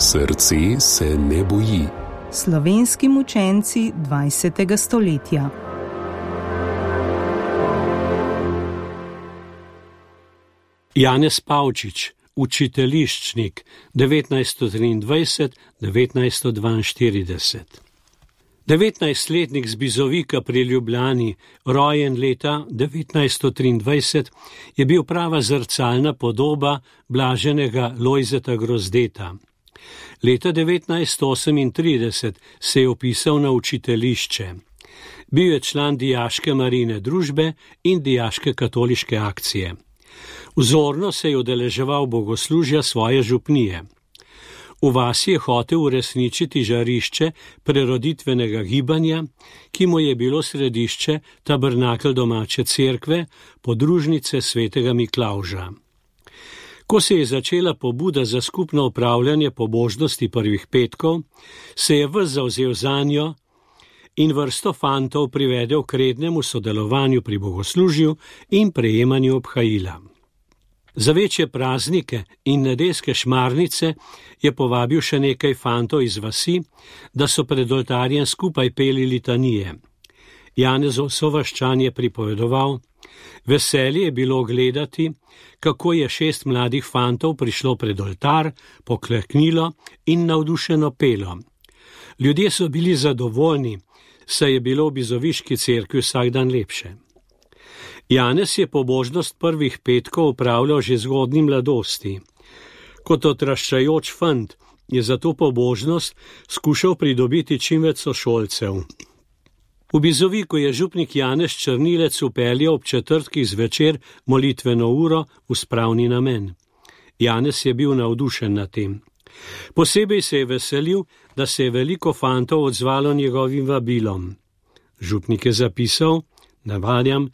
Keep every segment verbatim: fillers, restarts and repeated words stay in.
Srce se ne boji. Slovenski mučenci dvajsetega stoletja. Janez Pavčič, učiteljiščnik, devetnajststo triindvajset do devetnajststo dvainštirideset. devetnajstletnik z Bizovika pri Ljubljani, rojen leta devetnajststo triindvajset, je bil prava zrcalna podoba blaženega Lojzeta Grozdeta. Leta devetnajststo osemintrideset se je vpisal na učiteljišče. Bil je član dijaške Marijine družbe in dijaške katoliške akcije. Vzorno se je udeleževal bogoslužja svoje župnije. V vasi je hotel uresničiti žarišče preroditvenega gibanja, ki mu je bilo središče tabernakelj domače cerkve, podružnice svetega Miklavža. Ko se je začela pobuda za skupno opravljanje pobožnosti prvih petkov, se je ves zavzel zanjo in vrsto fantov privedel k rednemu sodelovanju pri bogoslužju in prejemanju obhajila. Za večje praznike in nedeljske šmarnice je povabil še nekaj fantov iz vasi, da so pred oltarjem skupaj peli litanije. Janezov sovaščan je pripovedoval: veselje je bilo gledati, kako je šest mladih fantov prišlo pred oltar, pokleknilo in navdušeno pelo. Ljudje so bili zadovoljni, saj je bilo v bizoviški cerkvi vsak dan lepše. Janez je pobožnost prvih petkov opravljal že zgodnji mladosti. Kot odraščajoč fant je za to pobožnost skušal pridobiti čim več sošolcev. V Bizoviku je župnik Janez Črnilec upeljal ob četrtkih zvečer molitveno uro v spravni namen. Janez je bil navdušen nad tem. Posebej se je veselil, da se je veliko fantov odzvalo njegovim vabilom. Župnik je zapisal, navajam,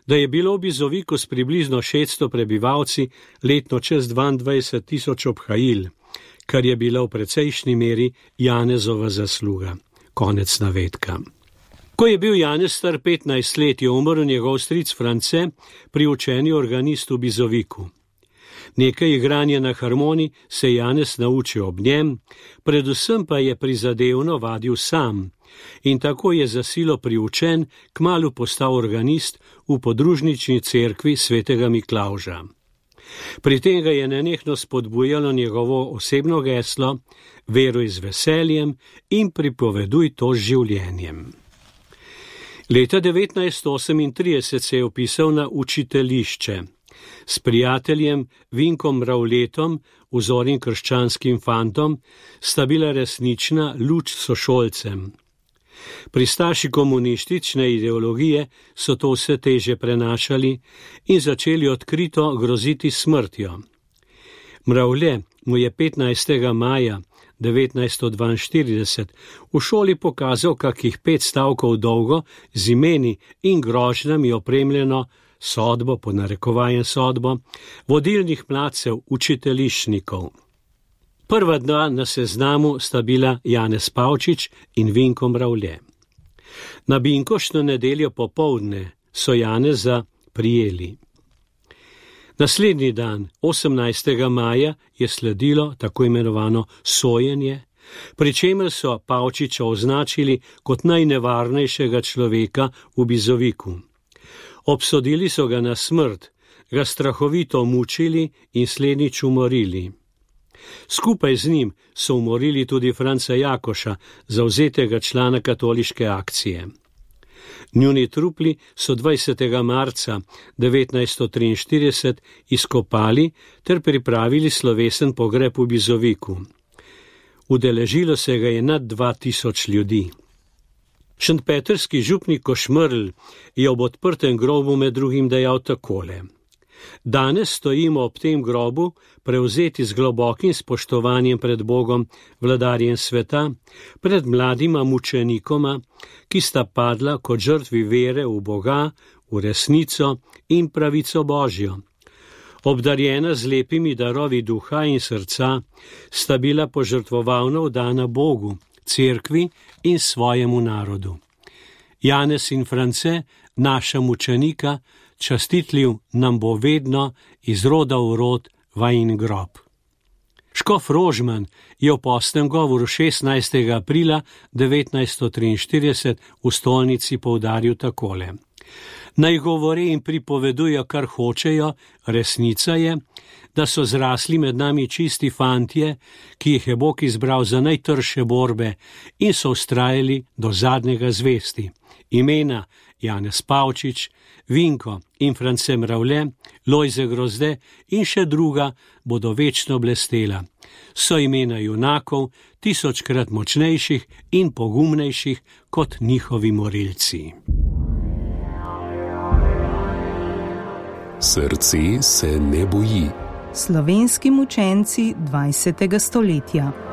da je bilo v Bizoviku s približno šeststo prebivalci letno čez dvaindvajset tisoč obhajil, kar je bila v precejšnji meri Janezova zasluga. Konec navedka. Ko je bil Janez star petnajst let, je umrl njegov stric France, priučeni organist v Bizoviku. Nekaj igranja na harmoni se je Janez naučil ob njem, predvsem pa je prizadevno vadil sam in tako je za silo priučen kmalu postal organist v podružnični cerkvi svetega Miklavža. Pri tem ga je nenehno spodbujalo njegovo osebno geslo: veruj z veseljem in pripoveduj to z življenjem. Leta devetnajststo osemintrideset se je vpisal na učiteljišče. S prijateljem Vinkom Ravletom, vzornim krščanskim fantom, sta bila resnična luč sošolcem. Pristaši komunistične ideologije so to vse teže prenašali in začeli odkrito groziti smrtjo. Mravlje mu je petnajstega maja devetnajststo dvainštirideset v šoli pokazal kakih pet stavkov dolgo z imeni in grožnjami opremljeno sodbo, po narekovajem sodbo, vodilnih mladcev, učiteljiščnikov. Prva dva na seznamu sta bila Janez Pavčič in Vinko Mravlje. Na binkoštno nedeljo popoldne so Janeza prijeli. Naslednji dan, osemnajstega maja, je sledilo tako imenovano sojenje, pri čemer so Pavčiča označili kot najnevarnejšega človeka v Bizoviku. Obsodili so ga na smrt, ga strahovito mučili in slednjič umorili. Skupaj z njim so umorili tudi Franca Jakoša, zavzetega člana katoliške akcije. Njuni trupli so dvajsetega marca devetnajststo triinštirideset izkopali ter pripravili slovesen pogreb v Bizoviku. Udeležilo se ga je nad dva tisoč ljudi. Šentpetrski župnik Košmerl je ob odprtem grobu med drugim dejal takole: danes stojimo ob tem grobu, prevzeti z globokim spoštovanjem pred Bogom, vladarjem sveta, pred mladima mučenikoma, ki sta padla kot žrtvi vere v Boga, v resnico in pravico Božjo. Obdarjena z lepimi darovi duha in srca, sta bila požrtvovalno vdana Bogu, cerkvi in svojemu narodu. Janez in France, naša mučenika, častitljiv nam bo vedno iz roda v rod vajin grob. Škof Rožman je v postnem govoru šestnajstega aprila devetnajststo triinštirideset v stolnici poudaril takole: Naj govore in pripovedujo, kar hočejo, resnica je, da so zrasli med nami čisti fantje, ki jih je Bog izbral za najtrše borbe in so vztrajali do zadnjega zvesti. Imena Janez Pavčič, Vinko in France Mravlje, Lojze Grozde in še druga bodo večno blestela. So imena junakov, tisočkrat močnejših in pogumnejših kot njihovi morilci. Srce se ne boji. Slovenski mučenci dvajsetega stoletja.